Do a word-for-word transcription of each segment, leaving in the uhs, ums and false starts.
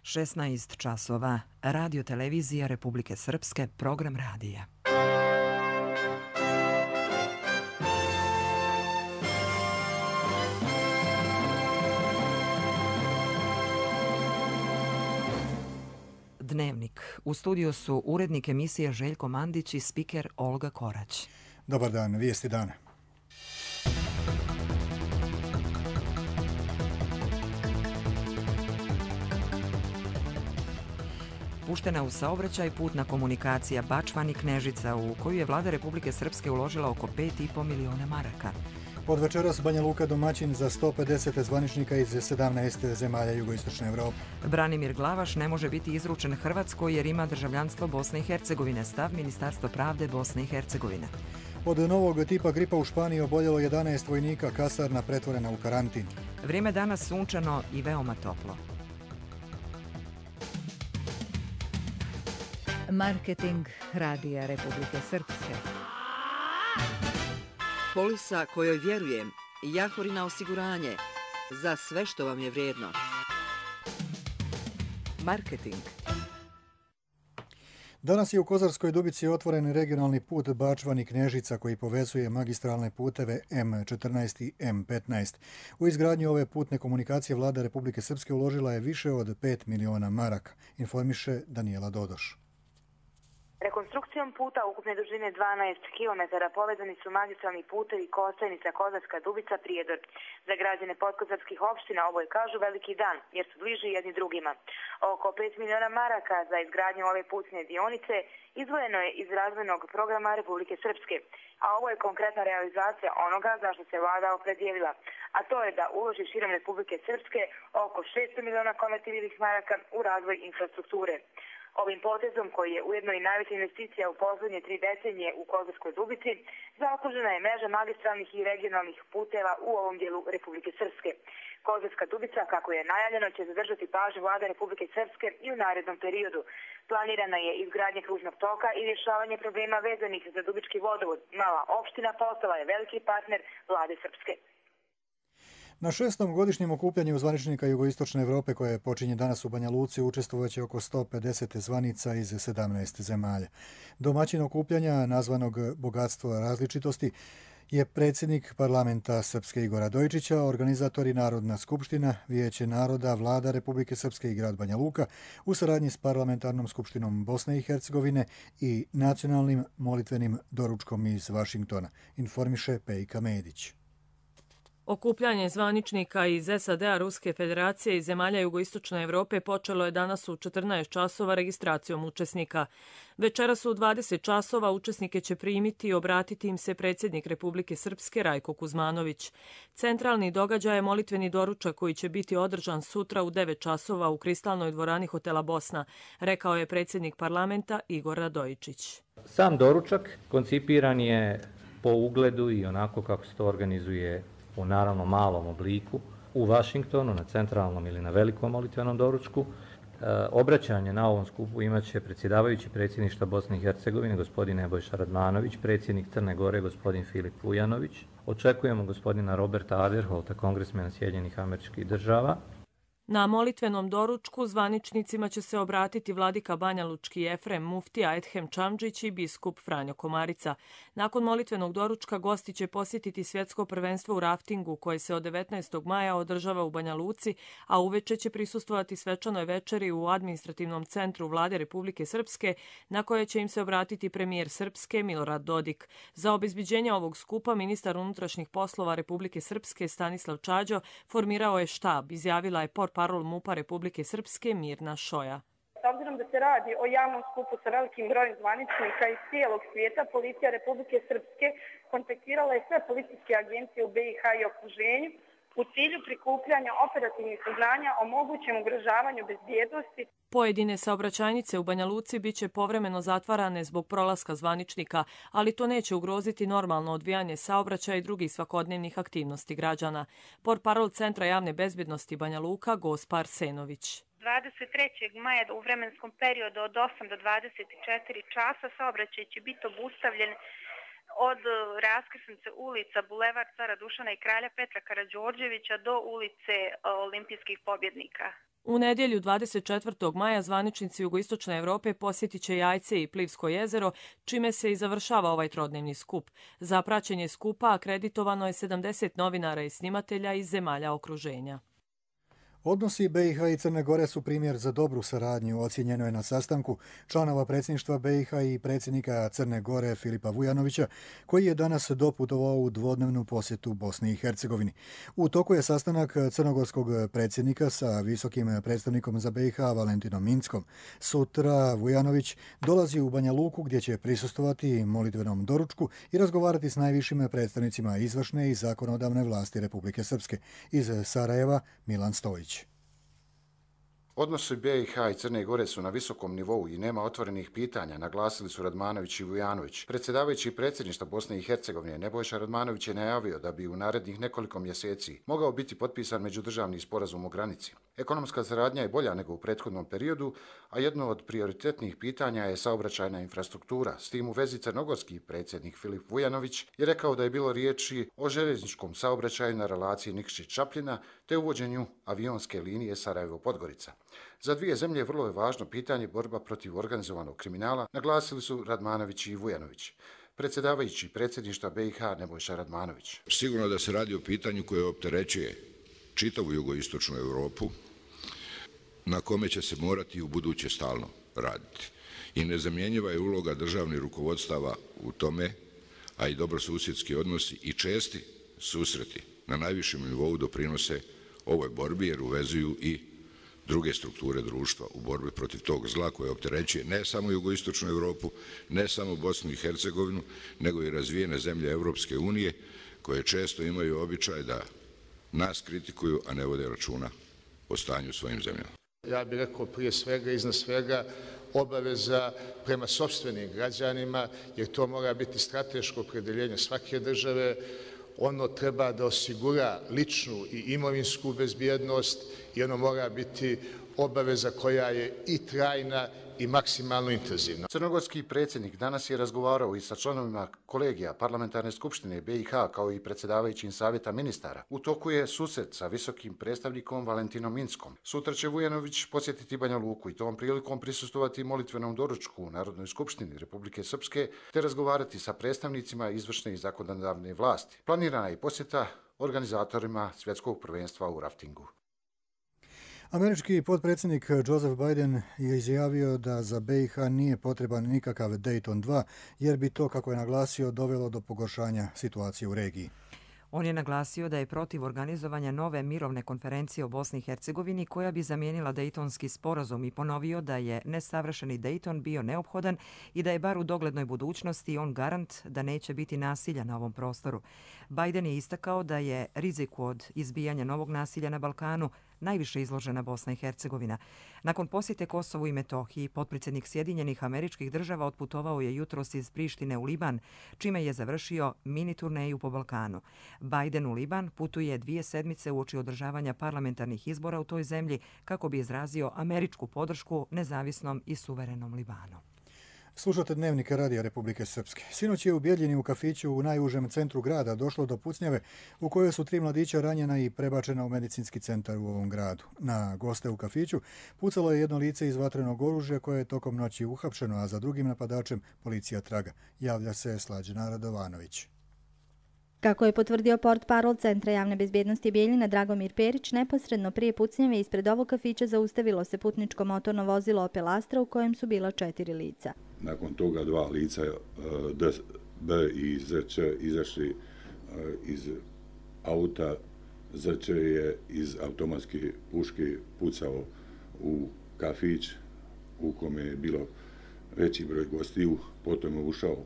šesnaest časova. Radio televizija Republike Srpske, program radija. Dnevnik. U studiju su urednik emisije Željko Mandić i spiker Olga Korać. Dobar dan, vijesti dana. Puštena u saobraćaj putna komunikacija Bačvani-Knežica, u koju je vlada Republike Srpske uložila oko pet i po miliona maraka. Od večeras Banja Luka domaćin za sto pedeset zvaničnika iz sedamnaest zemalja jugoistočne Evrope. Branimir Glavaš ne može biti izručen Hrvatskoj jer ima državljanstvo Bosne i Hercegovine, stav Ministarstva pravde Bosne i Hercegovine. Od novog tipa gripa u Španiji oboljelo jedanaest vojnika, kasarna pretvorena u karantin. Vrijeme danas sunčano i veoma toplo. Marketing Radija Republike Srpske. Polisa kojoj vjerujem, Jahorina osiguranje, za sve što vam je vrijedno. Marketing. Danas je u Kozarskoj Dubici otvoren regionalni put Bačvani-Knežica koji povezuje magistralne puteve em četrnaest i em petnaest. U izgradnju ove putne komunikacije vlada Republike Srpske uložila je više od pet miliona maraka, informiše Danijela Dodoš. Rekonstrukcijom puta ukupne dužine dvanaest kilometara povezani su magistralni putevi Kostajnica, Kozarska Dubica, Prijedor. Za građane podkozarskih opština ovo je, kažu, veliki dan, jer su bliži jedni drugima. Oko pet miliona maraka za izgradnju ove putne dionice izdvojeno je iz razvojnog programa Republike Srpske, a ovo je konkretna realizacija onoga za što se vlada opredijelila, a to je da uloži širom Republike Srpske oko šesto miliona konvertibilnih maraka u razvoj infrastrukture. Ovim potezom, koji je ujedno i najveća investicija u poslednje tri decenije u Kozarskoj Dubici, zaokružena je mreža magistralnih i regionalnih puteva u ovom dijelu Republike Srpske. Kozarska Dubica, kako je najavljeno, će zadržati pažnju vlade Republike Srpske i u narednom periodu. Planirana je izgradnja kružnog toka i rješavanje problema vezanih za Dubički vodovod. Mala opština postala je veliki partner vlade Srpske. Na šestom godišnjem okupljanju zvaničnika jugoistočne Evrope koje počinje danas u Banja Luci učestvovaće oko sto pedeset zvanica iz sedamnaest zemalja. Domaćin okupljanja, nazvanog Bogatstvo različitosti, je predsjednik parlamenta Srpske Igor Radojičića, organizatori Narodna skupština, Vijeće naroda, vlada Republike Srpske i grad Banja Luka u saradnji s parlamentarnom skupštinom Bosne i Hercegovine i nacionalnim molitvenim doručkom iz Vašingtona, informiše Pejka Medić. Okupljanje zvaničnika iz es a de a, Ruske federacije i zemalja jugoistočne Evrope počelo je danas u četrnaest časova registracijom učesnika. Večeras u dvadeset časova učesnike će primiti i obratiti im se predsjednik Republike Srpske Rajko Kuzmanović. Centralni događaj je molitveni doručak koji će biti održan sutra u devet časova u kristalnoj dvorani hotela Bosna, rekao je predsjednik parlamenta Igor Radojičić. Sam doručak koncipiran je po ugledu i onako kako se to organizuje u naravno malom obliku u Vašingtonu, na centralnom ili na velikom molitvenom doručku. E, obraćanje na ovom skupu imaće predsjedavajući predsjedništva Bosne i Hercegovine, gospodin Nebojša Radmanović, predsjednik Crne Gore, gospodin Filip Vujanović. Očekujemo gospodina Roberta Aderholta, kongresmena Sjedinjenih Američkih Država. Na molitvenom doručku zvaničnicima će se obratiti vladika banjalučki Efrem Muftija Edhem Čamdžić i biskup Franjo Komarica. Nakon molitvenog doručka gosti će posjetiti svjetsko prvenstvo u raftingu koje se od devetnaestog maja održava u Banja Luci, a uveče će prisustvovati svečanoj večeri u administrativnom centru vlade Republike Srpske, na koje će im se obratiti premijer Srpske Milorad Dodik. Za obezbeđenje ovog skupa ministar unutrašnjih poslova Republike Srpske Stanislav Čađo formirao je štab, izjavila je por parol MUP-a Republike Srpske Mirna Šoja. S obzirom da se radi o javnom skupu sa velikim brojem zvaničnika iz cijelog svijeta, policija Republike Srpske kontaktirala je sve policijske agencije u be i ha i okruženju u cilju prikupljanja operativnih saznanja o mogućem ugrožavanju bezbjednosti. Pojedine saobraćajnice u Banja Luci biće povremeno zatvarane zbog prolaska zvaničnika, ali to neće ugroziti normalno odvijanje saobraćaja i drugih svakodnevnih aktivnosti građana. Portparol Centra javne bezbjednosti Banja Luka Gospa Arsenović. dvadeset trećeg maja u vremenskom periodu od osam do dvadeset četiri časa saobraćaj će biti obustavljen od raskrsnice ulica Bulevar Cara Dušana i Kralja Petra Karađorđevića do ulice Olimpijskih pobjednika. U nedjelju dvadeset četvrtog maja zvaničnici jugoistočne Evrope posjetit će Jajce i Plivsko jezero, čime se i završava ovaj trodnevni skup. Za praćenje skupa akreditovano je sedamdeset novinara i snimatelja iz zemalja okruženja. Odnosi B i H i Crne Gore su primjer za dobru saradnju, ocijenjeno je na sastanku članova predsjedništva B i H i predsjednika Crne Gore Filipa Vujanovića, koji je danas doputovao u dvodnevnu posjetu Bosni i Hercegovini. U toku je sastanak crnogorskog predsjednika sa visokim predstavnikom za B i H Valentinom Inckom. Sutra Vujanović dolazi u Banja Luku gdje će prisustvovati molitvenom doručku i razgovarati s najvišim predstavnicima izvršne i zakonodavne vlasti Republike Srpske. Iz Sarajeva Milan Stojić. Odnosi B i H i Crne Gore su na visokom nivou i nema otvorenih pitanja, naglasili su Radmanović i Vujanović. Predsjedavajući predsjedništva Bosne i Hercegovine Nebojša Radmanović je najavio da bi u narednih nekoliko mjeseci mogao biti potpisan međudržavni sporazum o granici. Ekonomska saradnja je bolja nego u prethodnom periodu, a jedno od prioritetnih pitanja je saobraćajna infrastruktura. S tim u vezi crnogorski predsjednik Filip Vujanović je rekao da je bilo riječi o željezničkom saobraćaju na relaciji Nikšić-Čapljina te uvođenju avionske linije Sarajevo-Podgorica. Za dvije zemlje vrlo je važno pitanje borba protiv organizovanog kriminala, naglasili su Radmanović i Vujanović. Predsjedavajući predsjedništva B i H Nebojša Radmanović. Sigurno da se radi o pitanju koje opterećuje čitavu jugoistočnu Europu, na kome će se morati u buduće stalno raditi. I nezamjenjiva je uloga državnih rukovodstava u tome, a i dobrosusjedski odnosi i česti susreti na najvišem nivou doprinose ovoj borbi jer uvezuju i druge strukture društva u borbi protiv tog zla koje opterećuje ne samo jugoistočnu Europu, ne samo Bosnu i Hercegovinu, nego i razvijene zemlje Europske unije koje često imaju običaj da nas kritikuju, a ne vode računa o stanju u svojim zemljama. Ja bih rekao prije svega, iznad svega, obaveza prema sopstvenim građanima, jer to mora biti strateško opredeljenje svake države. Ono treba da osigura ličnu i imovinsku bezbjednost i ono mora biti obaveza koja je i trajna i maksimalno intenzivna. Crnogorski predsjednik danas je razgovarao i sa članovima kolegija Parlamentarne skupštine B i H kao i predsjedavajućim savjeta ministara. U toku je susret sa visokim predstavnikom Valentinom Inckom. Sutra će Vujanović posjetiti Banja Luku i tom prilikom prisustovati molitvenom doručku u Narodnoj skupštini Republike Srpske te razgovarati sa predstavnicima izvršne i zakonodavne vlasti. Planirana je posjeta organizatorima svjetskog prvenstva u raftingu. Američki potpredsjednik Joseph Biden je izjavio da za B i H nije potreban nikakav Dayton dva, jer bi to, kako je naglasio, dovelo do pogoršanja situacije u regiji. On je naglasio da je protiv organizovanja nove mirovne konferencije o Bosni i Hercegovini koja bi zamijenila Dejtonski sporazum i ponovio da je nesavršeni Dejton bio neophodan i da je bar u doglednoj budućnosti on garant da neće biti nasilja na ovom prostoru. Biden je istakao da je riziku od izbijanja novog nasilja na Balkanu najviše izložena Bosna i Hercegovina. Nakon posjete Kosovu i Metohiji, potpredsjednik Sjedinjenih Američkih Država otputovao je jutros iz Prištine u Liban, čime je završio mini turneju po Balkanu. Biden u Liban putuje dvije sedmice uoči održavanja parlamentarnih izbora u toj zemlji kako bi izrazio američku podršku nezavisnom i suverenom Libanu. Slušate Dnevnik Radija Republike Srpske. Sinoć je u Bjeljini u kafiću u najužem centru grada došlo do pucnjave u kojoj su tri mladića ranjena i prebačena u medicinski centar u ovom gradu. Na goste u kafiću pucalo je jedno lice iz vatrenog oružja koje je tokom noći uhapšeno, a za drugim napadačem policija traga. Javlja se Slađana Radovanović. Kako je potvrdio portparol Centra javne bezbjednosti Bijeljina Dragomir Perić, neposredno prije pucnjave ispred ovog kafića zaustavilo se putničko motorno vozilo Opel Astra u kojem su bila četiri lica. Nakon toga dva lica D B i Z Č izašli iz auta. Z Č je iz automatske puške pucao u kafić u kome je bilo veći broj gostiju, potom je ušao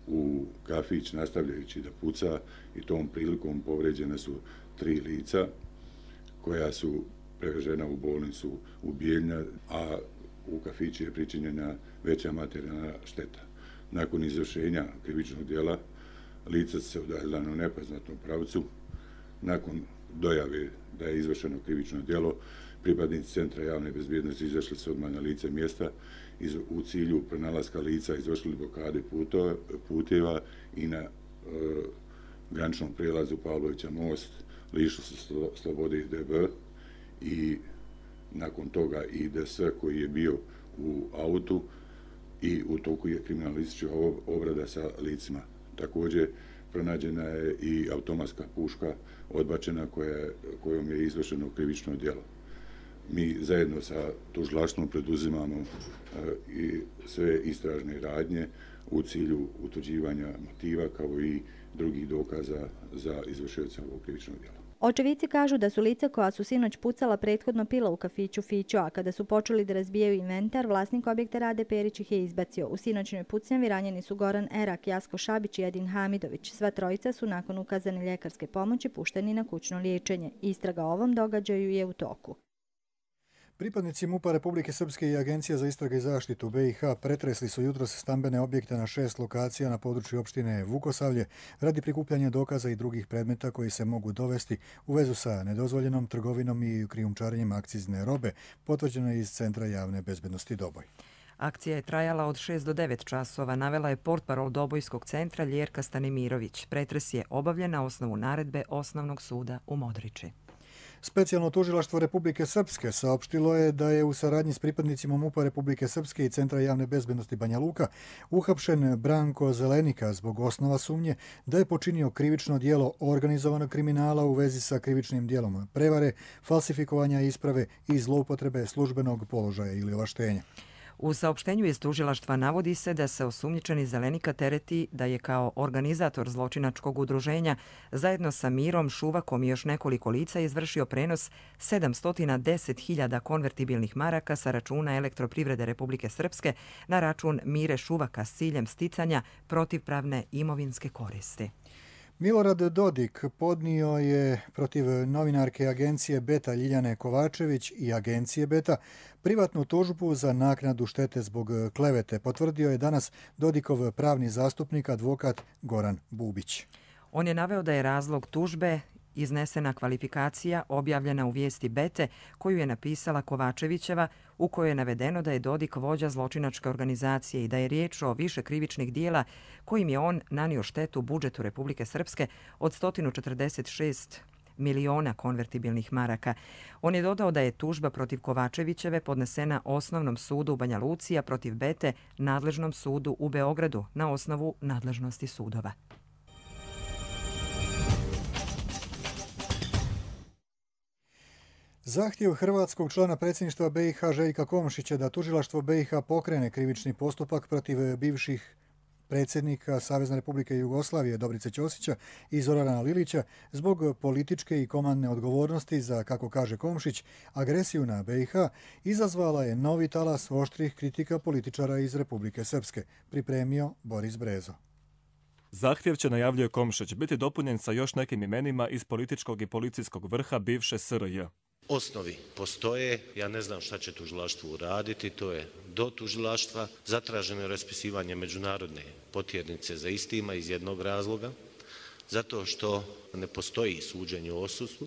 u kafić nastavljajući da puca i tom prilikom povređene su tri lica koja su prevežena u bolnicu u Bijeljina, a u kafiću je pričinjena veća materijalna šteta. Nakon izvršenja krivičnog djela lica se udaljila na nepoznatom pravcu. Nakon dojave da je izvršeno krivično djelo, pripadnici Centra javne bezbjednosti izašli su odmah na lice mjesta u cilju pronalaska lica, izvršili blokade puteva i na e, graničnom prijelazu Pavlovića most lišili su slobode D B i nakon toga i D S koji je bio u autu i u toku je kriminalistička obrada sa licima. Također pronađena je i automatska puška odbačena koja, kojom je izvršeno krivično djelo. Mi zajedno sa tužilaštvom preduzimamo e, i sve istražne radnje u cilju utvrđivanja motiva kao i drugih dokaza za izvršioca ovog krivičnog djela. Očevici kažu da su lica koja su sinoć pucala prethodno pila u kafiću Fićo, a kada su počeli da razbijaju inventar, vlasnik objekta Rade Perić ih je izbacio. U sinoćnoj pucnjavi ranjeni su Goran Erak, Jasko Šabić i Edin Hamidović. Sva trojica su nakon ukazane ljekarske pomoći pušteni na kućno liječenje. Istraga o ovom događaju je u toku. Pripadnici MUP-a Republike Srpske i Agencija za istrage i zaštitu B i H pretresli su jutros stambene objekte na šest lokacija na području opštine Vukosavlje radi prikupljanja dokaza i drugih predmeta koji se mogu dovesti u vezu sa nedozvoljenom trgovinom i krijumčarenjem akcizne robe, potvrđeno je iz Centra javne bezbednosti Doboj. Akcija je trajala od šest do devet časova, navela je portparol Dobojskog centra Ljerka Stanimirović. Pretres je obavljen na osnovu naredbe Osnovnog suda u Modriči. Specijalno tužilaštvo Republike Srpske saopštilo je da je u saradnji s pripadnicima MUP-a Republike Srpske i Centra javne bezbednosti Banja Luka uhapšen Branko Zelenika zbog osnova sumnje da je počinio krivično djelo organizovanog kriminala u vezi sa krivičnim djelom prevare, falsifikovanja isprave i zloupotrebe službenog položaja ili ovlaštenja. U saopštenju iz tužilaštva navodi se da se osumnjičeni Zelenika tereti da je kao organizator zločinačkog udruženja zajedno sa Mirom Šuvakom i još nekoliko lica izvršio prenos sedamsto deset hiljada konvertibilnih maraka sa računa Elektroprivrede Republike Srpske na račun Mire Šuvaka s ciljem sticanja protivpravne imovinske koristi. Milorad Dodik podnio je protiv novinarke agencije Beta Ljiljane Kovačević i agencije Beta privatnu tužbu za naknadu štete zbog klevete, potvrdio je danas Dodikov pravni zastupnik advokat Goran Bubić. On je naveo da je razlog tužbe iznesena kvalifikacija objavljena u vijesti Bete koju je napisala Kovačevićeva, u kojoj je navedeno da je Dodik vođa zločinačke organizacije i da je riječ o više krivičnih dijela kojim je on nanio štetu budžetu Republike Srpske od sto četrdeset šest miliona konvertibilnih maraka. On je dodao da je tužba protiv Kovačevićeve podnesena Osnovnom sudu u Banja Luci, a protiv Bete nadležnom sudu u Beogradu na osnovu nadležnosti sudova. Zahtjev hrvatskog člana predsjedništva B i H Željka Komšića da tužilaštvo B i H pokrene krivični postupak protiv bivših predsjednika Savezne Republike Jugoslavije Dobrice Ćosića i Zorana Lilića zbog političke i komandne odgovornosti za, kako kaže Komšić, agresiju na B i H izazvala je novi talas oštrih kritika političara iz Republike Srpske, pripremio Boris Brezo. Zahtjev će, najavljuje Komšić, biti dopunjen sa još nekim imenima iz političkog i policijskog vrha bivše S R J. Osnovi postoje, ja ne znam šta će tužilaštvo uraditi, to je do tužilaštva. Zatraženo je raspisivanje međunarodne potjernice za istima iz jednog razloga, zato što ne postoji suđenje o odsustvu.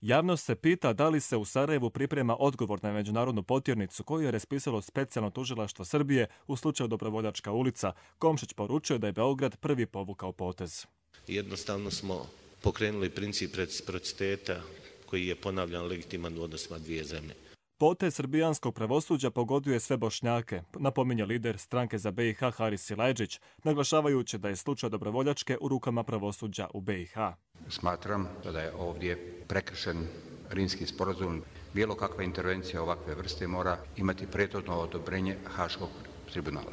Javnost se pita da li se u Sarajevu priprema odgovor na međunarodnu potjernicu koju je raspisalo specijalno tužilaštvo Srbije u slučaju Dobrovoljačka ulica. Komšić poručuje da je Beograd prvi povukao potez. Jednostavno smo pokrenuli princip reciprociteta koji je ponavljan legitiman u odnosima dvije zemlje. Potez srbijanskog pravosuđa pogoduje sve Bošnjake, napominje lider stranke za B i H Haris Silajdžić, naglašavajući da je slučaj Dobrovoljačke u rukama pravosuđa u B i H. Smatram da je ovdje prekršen Rimski sporazum. Bilo kakva intervencija ovakve vrste mora imati prethodno odobrenje Haškog tribunala.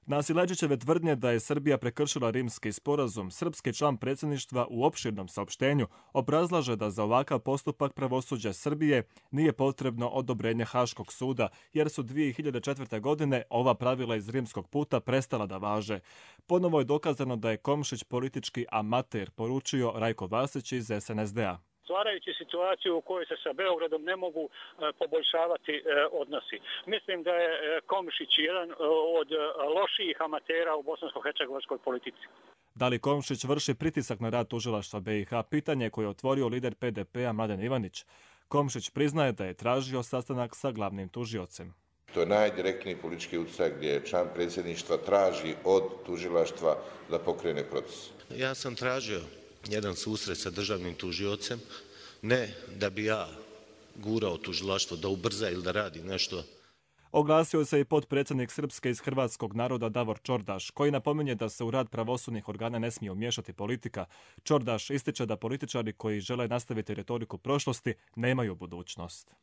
Na Silajdžićeve tvrdnje da je Srbija prekršila Rimski sporazum, srpski član predsjedništva u opširnom saopštenju obrazlaže da za ovakav postupak pravosuđa Srbije nije potrebno odobrenje Haškog suda, jer su dvije hiljade četvrte. godine ova pravila iz Rimskog puta prestala da važe. Ponovo je dokazano da je Komšić politički amater, poručio Rajko Vasić iz S N S D-a. Stvarajući situaciju u kojoj se sa Beogradom ne mogu e, poboljšavati e, odnosi. Mislim da je e, Komšić jedan e, od e, lošijih amatera u bosansko-hercegovačkoj politici. Da li Komšić vrši pritisak na rad tužilaštva B i H? Pitanje koje je otvorio lider P D P-a Mladen Ivanić. Komšić priznaje da je tražio sastanak sa glavnim tužiocem. To je najdirektniji politički utjecaj gdje član predsjedništva traži od tužilaštva da pokrene proces. Ja sam tražio jedan susret sa državnim tužiocem, ne da bi ja gurao tužilaštvo da ubrza ili da radi nešto. Oglasio se i potpredsjednik Srpske iz hrvatskog naroda Davor Čordaš, koji napominje da se u rad pravosudnih organa ne smije umiješati politika. Čordaš ističe da političari koji žele nastaviti retoriku prošlosti nemaju budućnost.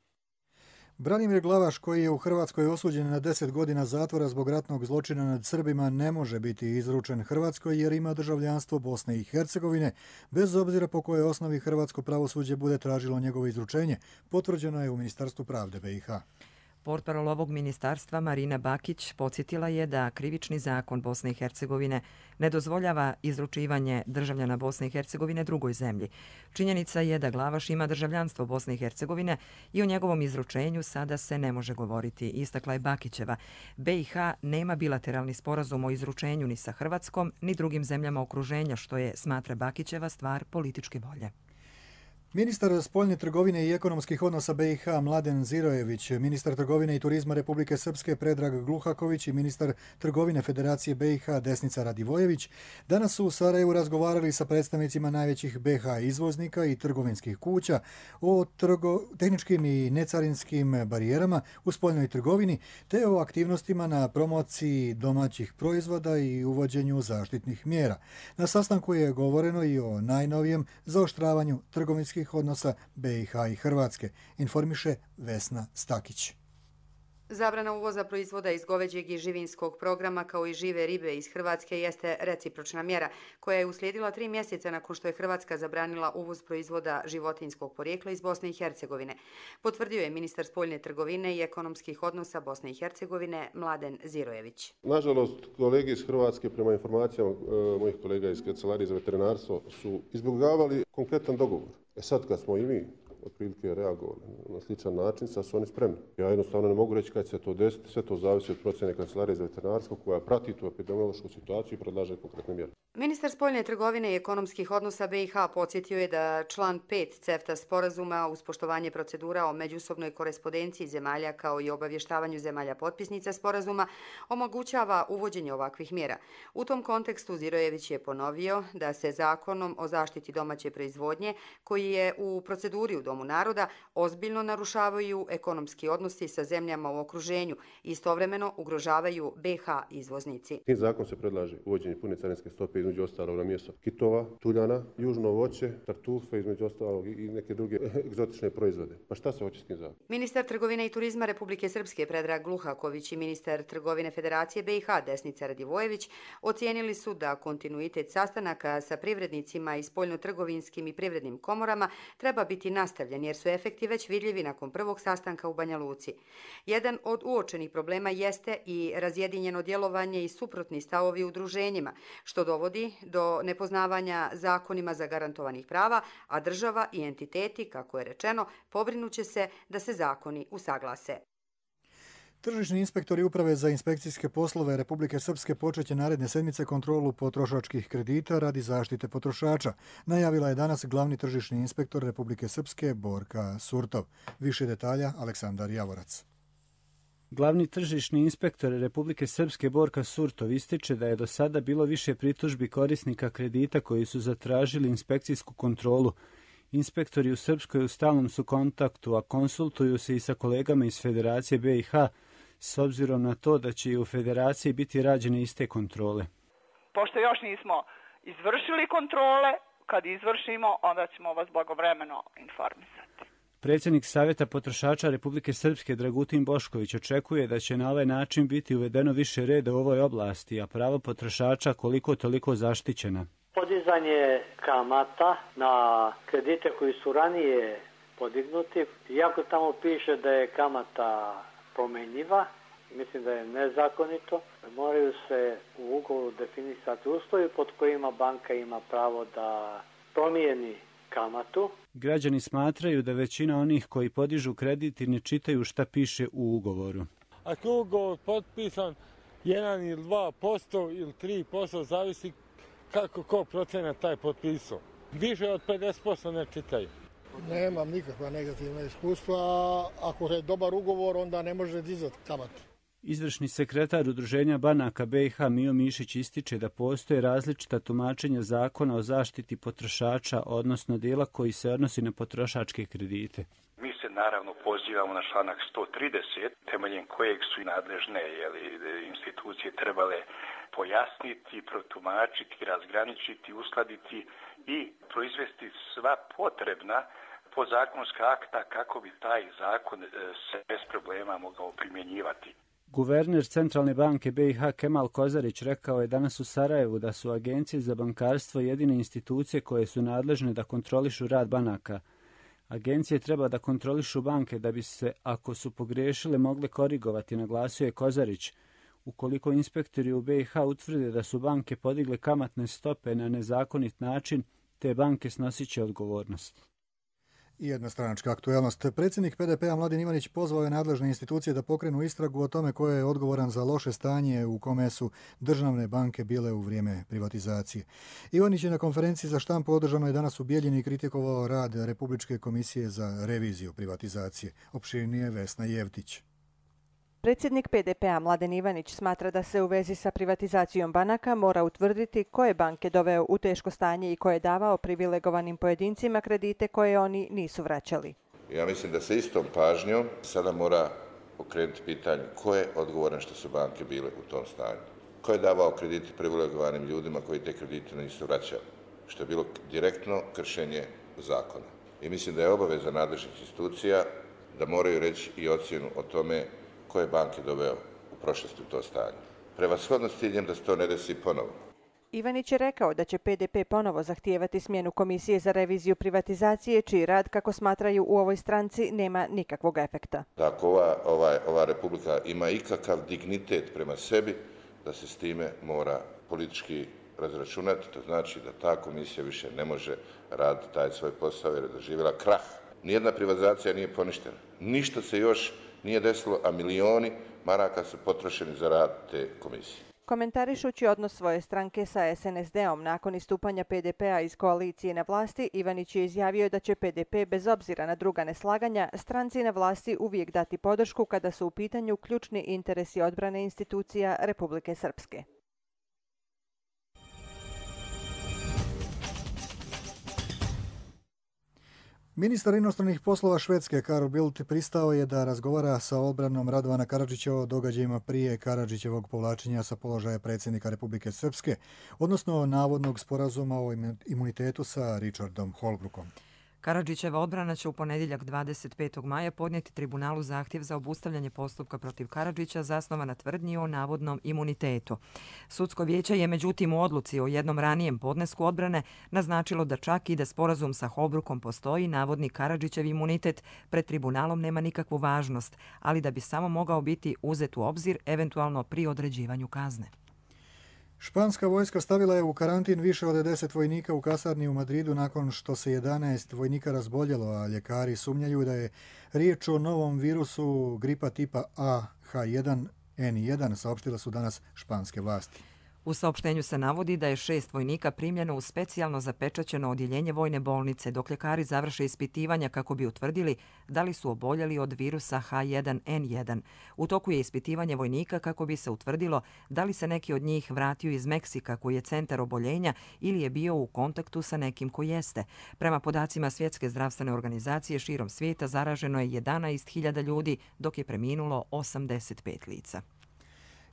Branimir Glavaš, koji je u Hrvatskoj osuđen na deset godina zatvora zbog ratnog zločina nad Srbima, ne može biti izručen Hrvatskoj jer ima državljanstvo Bosne i Hercegovine, bez obzira po kojoj osnovi hrvatsko pravosuđe bude tražilo njegovo izručenje, potvrđeno je u Ministarstvu pravde B i H. Portparol ovog ministarstva Marina Bakić podsjetila je da krivični zakon Bosne i Hercegovine ne dozvoljava izručivanje državljana Bosne i Hercegovine drugoj zemlji. Činjenica je da Glavaš ima državljanstvo Bosne i Hercegovine i o njegovom izručenju sada se ne može govoriti, istakla je Bakićeva. B i H nema bilateralni sporazum o izručenju ni sa Hrvatskom ni drugim zemljama okruženja, što je, smatra Bakićeva, stvar političke volje. Ministar spoljne trgovine i ekonomskih odnosa B i H Mladen Zirojević, ministar trgovine i turizma Republike Srpske Predrag Gluhaković i ministar trgovine Federacije B i H Desnica Radivojević danas su u Sarajevu razgovarali sa predstavnicima najvećih B i H izvoznika i trgovinskih kuća o trgo, tehničkim i necarinskim barijerama u spoljnoj trgovini te o aktivnostima na promociji domaćih proizvoda i uvođenju zaštitnih mjera. Na sastanku je govoreno i o najnovijem zaoštravanju trgovinskih odnosa B i H i Hrvatske, informiše Vesna Stakić. Zabrana uvoza proizvoda iz goveđeg i živinskog programa kao i žive ribe iz Hrvatske jeste recipročna mjera koja je uslijedila tri mjeseca nakon što je Hrvatska zabranila uvoz proizvoda životinjskog porijekla iz Bosne i Hercegovine. Potvrdio je ministar spoljne trgovine i ekonomskih odnosa Bosne i Hercegovine Mladen Zirojević. Nažalost, kolege iz Hrvatske, prema informacijama e, mojih kolega iz Kancelarije za veterinarstvo, su izbjegavali konkretan dogovor. E sad kad smo i mi otprilike reagovali na sličan način, sad su oni spremni. Ja jednostavno ne mogu reći kad će se to desiti, sve to zavisi od procjene Kancelarije za veterinarstvo koja prati tu epidemiološku situaciju i predlaže konkretne mjere. Ministar spoljne trgovine i ekonomskih odnosa B i H podsjetio je da član pet CEFTA sporazuma uz poštovanje procedura o međusobnoj korespondenciji zemalja kao i obavještavanju zemalja potpisnica sporazuma omogućava uvođenje ovakvih mjera. U tom kontekstu Zirojević je ponovio da se zakonom o zaštiti domaće proizvodnje, koji je u proceduri u Domu naroda, ozbiljno narušavaju ekonomski odnosi sa zemljama u okruženju i istovremeno ugrožavaju B i H izvoznici. Tim zakon se predlaže uvođenje pune carinske stope između ostalog na mjesto kitova, tuljana, južno voće, tartufe, između ostalog i neke druge egzotične proizvode. Pa šta se hoće s tim zakonom? Ministar trgovine i turizma Republike Srpske Predrag Gluhaković i ministar trgovine Federacije B i H Desnica Radivojević ocijenili su da kontinuitet sastanaka sa privrednicima i spoljnotrgovinskim i privrednim komorama treba biti nastavljen jer su efekti već vidljivi nakon prvog sastanka u Banja Luci. Jedan od uočenih problema jeste i razjedinjeno djelovanje i suprotni stavovi udruženjima, što dovodi do nepoznavanja zakonima zagarantovanih prava, a država i entiteti, kako je rečeno, pobrinuće se da se zakoni usaglase. Tržišni inspektori Uprave za inspekcijske poslove Republike Srpske počeće naredne sedmice kontrolu potrošačkih kredita radi zaštite potrošača. Najavila je danas glavni tržišni inspektor Republike Srpske Borka Surtov. Više detalja Aleksandar Javorac. Glavni tržišni inspektor Republike Srpske Borka Surtov ističe da je do sada bilo više pritužbi korisnika kredita koji su zatražili inspekcijsku kontrolu. Inspektori u Srpskoj u stalnom su kontaktu, a konsultuju se i sa kolegama iz Federacije B i H, s obzirom na to da će i u Federaciji biti rađene iste kontrole. Pošto još nismo izvršili kontrole, kad izvršimo, onda ćemo vas blagovremeno informisati. Predsjednik Savjeta potrošača Republike Srpske Dragutin Bošković očekuje da će na ovaj način biti uvedeno više reda u ovoj oblasti, a pravo potrošača koliko toliko zaštićena. Podizanje kamata na kredite koji su ranije podignuti, iako tamo piše da je kamata promenjiva, mislim da je nezakonito, moraju se u ugovoru definisati uslovi pod kojima banka ima pravo da promijeni kamatu. Građani smatraju da većina onih koji podižu kredit i ne čitaju šta piše u ugovoru. Ako je ugovor potpisan jedan ili dva posto ili tri posto, zavisi kako ko procena taj potpisao. Više od pedeset posto ne čitaju. Nemam nikakva negativna iskustva. Ako je dobar ugovor, onda ne može dizati kamatu. Izvršni sekretar Udruženja banaka B i H Mio Mišić ističe da postoje različita tumačenja zakona o zaštiti potrošača, odnosno dijela koji se odnosi na potrošačke kredite. Mi se naravno pozivamo na članak sto trideset, temeljem kojeg su i nadležne jeli, institucije trebale pojasniti, protumačiti, razgraničiti, uskladiti i proizvesti sva potrebna podzakonska akta kako bi taj zakon se bez problema mogao primjenjivati. Guverner Centralne banke B i H Kemal Kozarić rekao je danas u Sarajevu da su agencije za bankarstvo jedine institucije koje su nadležne da kontrolišu rad banaka. Agencije treba da kontrolišu banke da bi se, ako su pogriješile, mogle korigovati, naglasio je Kozarić. Ukoliko inspektori u B i H utvrde da su banke podigle kamatne stope na nezakonit način, te banke snosit će odgovornost. I jedna stranačka aktuelnost. Predsjednik P D P-a Mladen Ivanić pozvao je nadležne institucije da pokrenu istragu o tome ko je odgovoran za loše stanje u kome su državne banke bile u vrijeme privatizacije. Ivanić je na konferenciji za štampu održanoj danas u Bijeljini kritikovao rad Republičke komisije za reviziju privatizacije. Opširnije Vesna Jevtić. Predsjednik P D P-a Mladen Ivanić smatra da se u vezi sa privatizacijom banaka mora utvrditi ko je banke doveo u teško stanje i ko je davao privilegovanim pojedincima kredite koje oni nisu vraćali. Ja mislim da se istom pažnjom sada mora pokrenuti pitanje ko je odgovoran što su banke bile u tom stanju. Ko je davao kredite privilegovanim ljudima koji te kredite nisu vraćali, što je bilo direktno kršenje zakona. I mislim da je obaveza nadležnih institucija da moraju reći i ocjenu o tome ko je banke doveo u prošlosti u to stanje. Prevashodno s ciljem da se to ne desi ponovo. Ivanić je rekao da će P D P ponovo zahtijevati smjenu Komisije za reviziju privatizacije, čiji rad, kako smatraju u ovoj stranci, nema nikakvog efekta. Ako ova, ova, ova republika ima ikakav dignitet prema sebi, da se s time mora politički razračunati. To znači da ta komisija više ne može raditi taj svoj posao jer je doživjela krah. Nijedna privatizacija nije poništena. Ništa se još nije desilo, a milioni maraka su potrošeni za rad te komisije. Komentarišući odnos svoje stranke sa S N S D-om nakon istupanja P D P-a iz koalicije na vlasti, Ivanić je izjavio da će P D P, bez obzira na druga neslaganja, stranci na vlasti uvijek dati podršku kada su u pitanju ključni interesi odbrane institucija Republike Srpske. Ministar inostranih poslova Švedske Carl Bildt pristao je da razgovara sa odbranom Radovana Karadžića o događajima prije Karadžićevog povlačenja sa položaja predsjednika Republike Srpske, odnosno navodnog sporazuma o imunitetu sa Richardom Holbrookom. Karadžićeva odbrana će u ponedjeljak dvadeset petog maja podnijeti tribunalu zahtjev za obustavljanje postupka protiv Karadžića zasnovan na tvrdnji o navodnom imunitetu. Sudsko vijeće je međutim u odluci o jednom ranijem podnesku odbrane naznačilo da čak i da sporazum sa Holbrookom postoji, navodni Karadžićev imunitet pred tribunalom nema nikakvu važnost, ali da bi samo mogao biti uzet u obzir eventualno pri određivanju kazne. Španska vojska stavila je u karantin više od deset vojnika u kasarni u Madridu nakon što se jedanaest vojnika razboljelo, a ljekari sumnjaju da je riječ o novom virusu gripa tipa A H jedan N jedan, saopštile su danas španske vlasti. U saopštenju se navodi da je šest vojnika primljeno u specijalno zapečaćeno odjeljenje vojne bolnice, dok ljekari završe ispitivanja kako bi utvrdili da li su oboljeli od virusa H jedan N jedan. U toku je ispitivanje vojnika kako bi se utvrdilo da li se neki od njih vratio iz Meksika, koji je centar oboljenja, ili je bio u kontaktu sa nekim ko jeste. Prema podacima Svjetske zdravstvene organizacije, širom svijeta zaraženo je jedanaest hiljada ljudi, dok je preminulo osamdeset pet lica.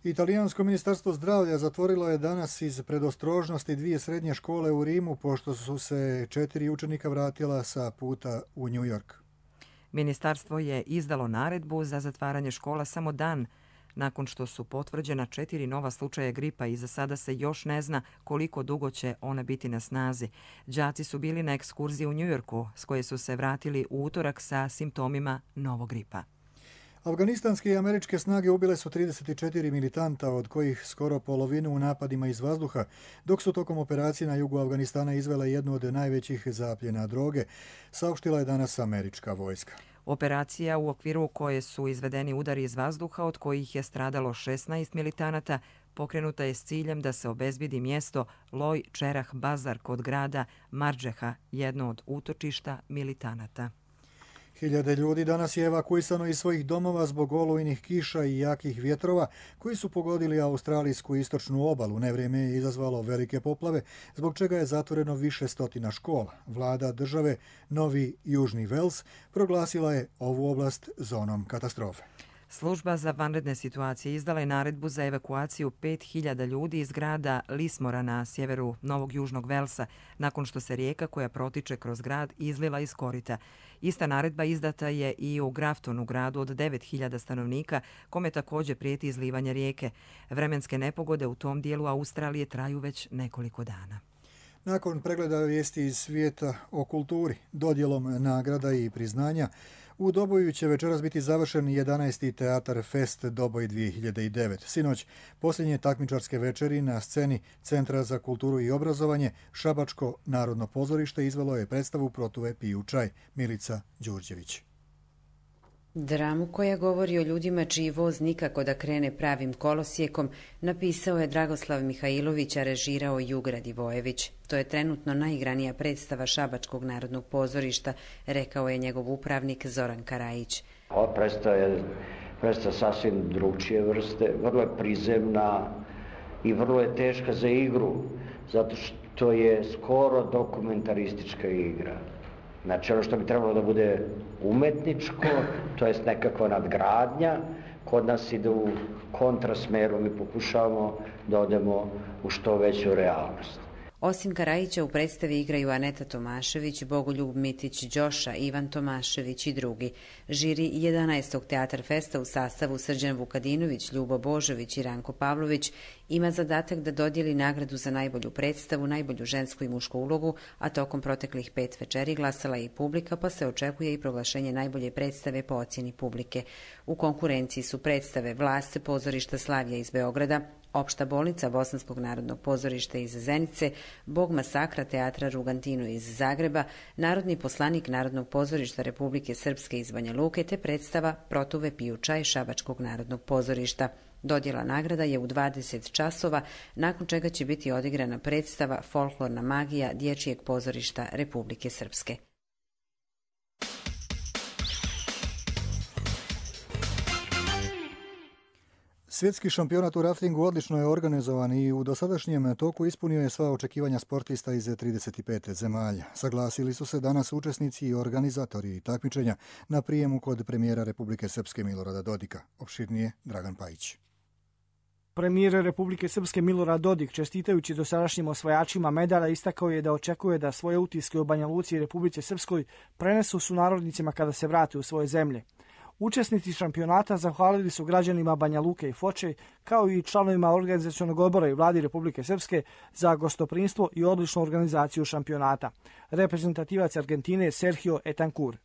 Italijansko ministarstvo zdravlja zatvorilo je danas iz predostrožnosti dvije srednje škole u Rimu, pošto su se četiri učenika vratila sa puta u New York. Ministarstvo je izdalo naredbu za zatvaranje škola samo dan nakon što su potvrđena četiri nova slučaja gripa i za sada se još ne zna koliko dugo će ona biti na snazi. Đaci su bili na ekskurziji u New Yorku, s koje su se vratili u utorak sa simptomima novog gripa. Afganistanske i američke snage ubile su trideset četiri militanta, od kojih skoro polovinu u napadima iz vazduha, dok su tokom operacije na jugu Afganistana izvele jednu od najvećih zapljena droge, saopštila je danas američka vojska. Operacija u okviru koje su izvedeni udari iz vazduha, od kojih je stradalo šesnaest militanata, pokrenuta je s ciljem da se obezbedi mjesto Loj Čerah Bazar kod grada Marđeha, jedno od utočišta militanata. Hiljade ljudi danas je evakuisano iz svojih domova zbog olujnih kiša i jakih vjetrova koji su pogodili australijsku istočnu obalu. Nevrijeme je izazvalo velike poplave, zbog čega je zatvoreno više stotina škola. Vlada države Novi Južni Vels proglasila je ovu oblast zonom katastrofe. Služba za vanredne situacije izdala je naredbu za evakuaciju pet hiljada ljudi iz grada Lismora na sjeveru Novog Južnog Velsa, nakon što se rijeka koja protiče kroz grad izlila iz korita. Ista naredba izdata je i u Graftonu, gradu od devet hiljada stanovnika, kome također prijeti izlivanje rijeke. Vremenske nepogode u tom dijelu Australije traju već nekoliko dana. Nakon pregleda vijesti iz svijeta o kulturi, dodjelom nagrada i priznanja, u Doboju će večeras biti završen jedanaesti Teatar Fest Doboj dvije hiljade devet. Sinoć, posljednje takmičarske večeri na sceni Centra za kulturu i obrazovanje, Šabačko narodno pozorište izvelo je predstavu Protuve piju čaj. Milica Đurđević. Dramu koja govori o ljudima čiji voz nikako da krene pravim kolosijekom napisao je Dragoslav Mihajlović, a režirao Jug Radivojević. To je trenutno najigranija predstava Šabačkog narodnog pozorišta, rekao je njegov upravnik Zoran Karajić. Ova predstava je predstava sasvim drugčije vrste, vrlo je prizemna i vrlo je teška za igru, zato što je skoro dokumentaristička igra. Znači ono što bi trebalo da bude umetničko, to jest nekakva nadgradnja, kod nas ide u kontrasmeru, mi pokušavamo da odemo u što veću realnost. Osim Karajića u predstavi igraju Aneta Tomašević, Bogoljub Mitić, Đoša, Ivan Tomašević i drugi. Žiri jedanaestog Teatar Festa u sastavu Srđan Vukadinović, Ljubo Božović i Ranko Pavlović ima zadatak da dodijeli nagradu za najbolju predstavu, najbolju žensku i mušku ulogu, a tokom proteklih pet večeri glasala je i publika, pa se očekuje i proglašenje najbolje predstave po ocjeni publike. U konkurenciji su predstave Vlast pozorišta Slavija iz Beograda, Opšta bolnica Bosanskog narodnog pozorišta iz Zenice, Bog masakra Teatra Rugantino iz Zagreba, Narodni poslanik Narodnog pozorišta Republike Srpske iz Banja Luke te predstava Protuve piju čaj Šabačkog narodnog pozorišta. Dodjela nagrada je u dvadeset časova, nakon čega će biti odigrana predstava Folklorna magija Dječjeg pozorišta Republike Srpske. Svjetski šampionat u raftingu odlično je organizovan i u dosadašnjem toku ispunio je sva očekivanja sportista iz trideset pet zemalja. Saglasili su se danas učesnici i organizatori takmičenja na prijemu kod premijera Republike Srpske Milorada Dodika. Opširnije Dragan Pajić. Premijer Republike Srpske Milorad Dodik, čestitajući dosadašnjim osvajačima medalja, istakao je da očekuje da svoje utiske o Banja Luci i Republici Srpskoj prenesu sunarodnicima kada se vrate u svoje zemlje. Učesnici šampionata zahvalili su građanima Banja Luke i Foče, kao i članovima organizacionog odbora i vladi Republike Srpske za gostoprinstvo i odličnu organizaciju šampionata. Reprezentativac Argentine Sergio Etancur.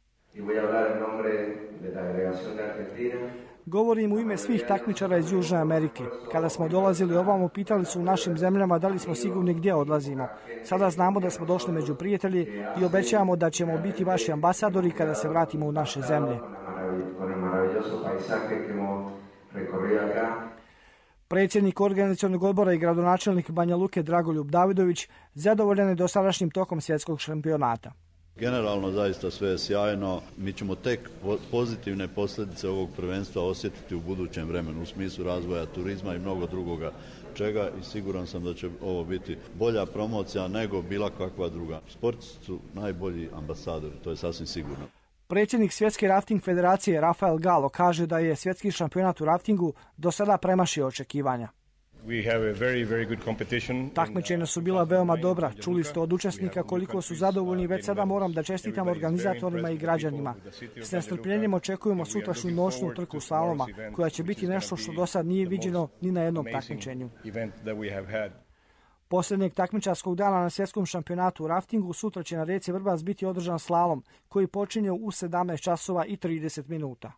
Govorim u ime svih takmičara iz Južne Amerike. Kada smo dolazili ovamo, pitali su u našim zemljama da li smo sigurni gdje odlazimo. Sada znamo da smo došli među prijatelji i obećavamo da ćemo biti vaši ambasadori kada se vratimo u naše zemlje. Predsjednik organizacionog odbora i gradonačelnik Banja Luke Dragoljub Davidović zadovoljan je dosadašnjim tokom svjetskog šampionata. Generalno zaista sve je sjajno. Mi ćemo tek pozitivne posljedice ovog prvenstva osjetiti u budućem vremenu u smislu razvoja turizma i mnogo drugoga čega i siguran sam da će ovo biti bolja promocija nego bila kakva druga. Sportisti su najbolji ambasadori, to je sasvim sigurno. Predsjednik Svjetske rafting federacije Rafael Galo kaže da je svjetski šampionat u raftingu do sada premašio očekivanja. Takmičenja su bila veoma dobra. Čuli ste od učesnika koliko su zadovoljni. Već sada moram da čestitam organizatorima i građanima. S nestrpljenjem očekujemo sutrašnju noćnu trku slaloma, koja će biti nešto što do sad nije viđeno ni na jednom takmičenju. Posljednjeg takmičarskog dana na svjetskom šampionatu u raftingu sutra će na rijeci Vrbas biti održan slalom, koji počinje u sedamnaest časova i trideset minuta.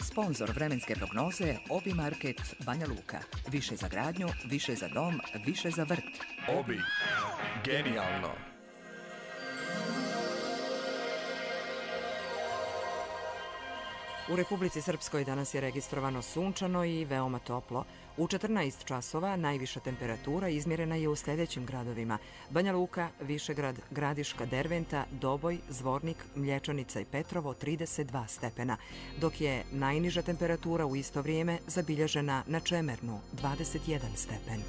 Sponzor vremenske prognoze Obi Market Banja Luka. Više za gradnju, više za dom, više za vrt. Obi. Genijalno. U Republici Srpskoj danas je registrovano sunčano i veoma toplo. U četrnaest časova najviša temperatura izmjerena je u sljedećim gradovima: Banja Luka, Višegrad, Gradiška, Derventa, Doboj, Zvornik, Mlječanica i Petrovo trideset dva stepena, dok je najniža temperatura u isto vrijeme zabilježena na Čemernu dvadeset jedan stepen.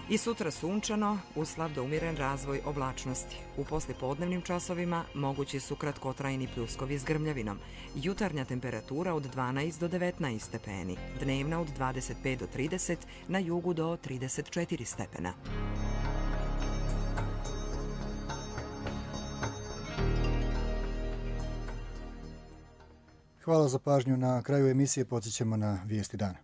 I sutra sunčano, uz slab do umjeren razvoj oblačnosti. U poslijepodnevnim časovima mogući su kratkotrajni pljuskovi s grmljavinom. Jutarnja temperatura od dvanaest do devetnaest stepeni, dnevna od dvadeset pet do trideset, na jugu do trideset četiri stepena. Hvala za pažnju. Na kraju emisije podsjećamo na vijesti dana.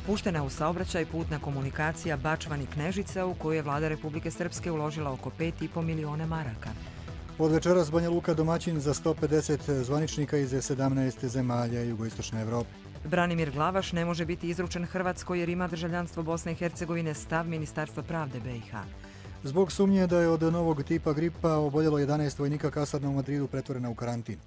Puštena u saobraćaj putna komunikacija Bačvani-Knežica, u koju je vlada Republike Srpske uložila oko pet i po miliona maraka. Od večeras Banja Luka domaćin za sto pedeset zvaničnika iz sedamnaest zemalja jugoistočne Evrope. Branimir Glavaš ne može biti izručen Hrvatskoj jer ima državljanstvo Bosne i Hercegovine, stav Ministarstva pravde B i H. Zbog sumnje da je od novog tipa gripa oboljelo jedanaest vojnika kasarna u Madridu pretvorena u karantin.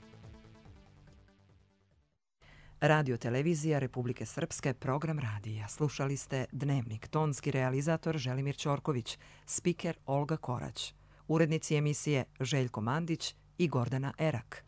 Radio televizija Republike Srpske, program radija. Slušali ste Dnevnik, tonski realizator Želimir Ćorković, spiker Olga Korać, urednici emisije Željko Mandić i Gordana Erak.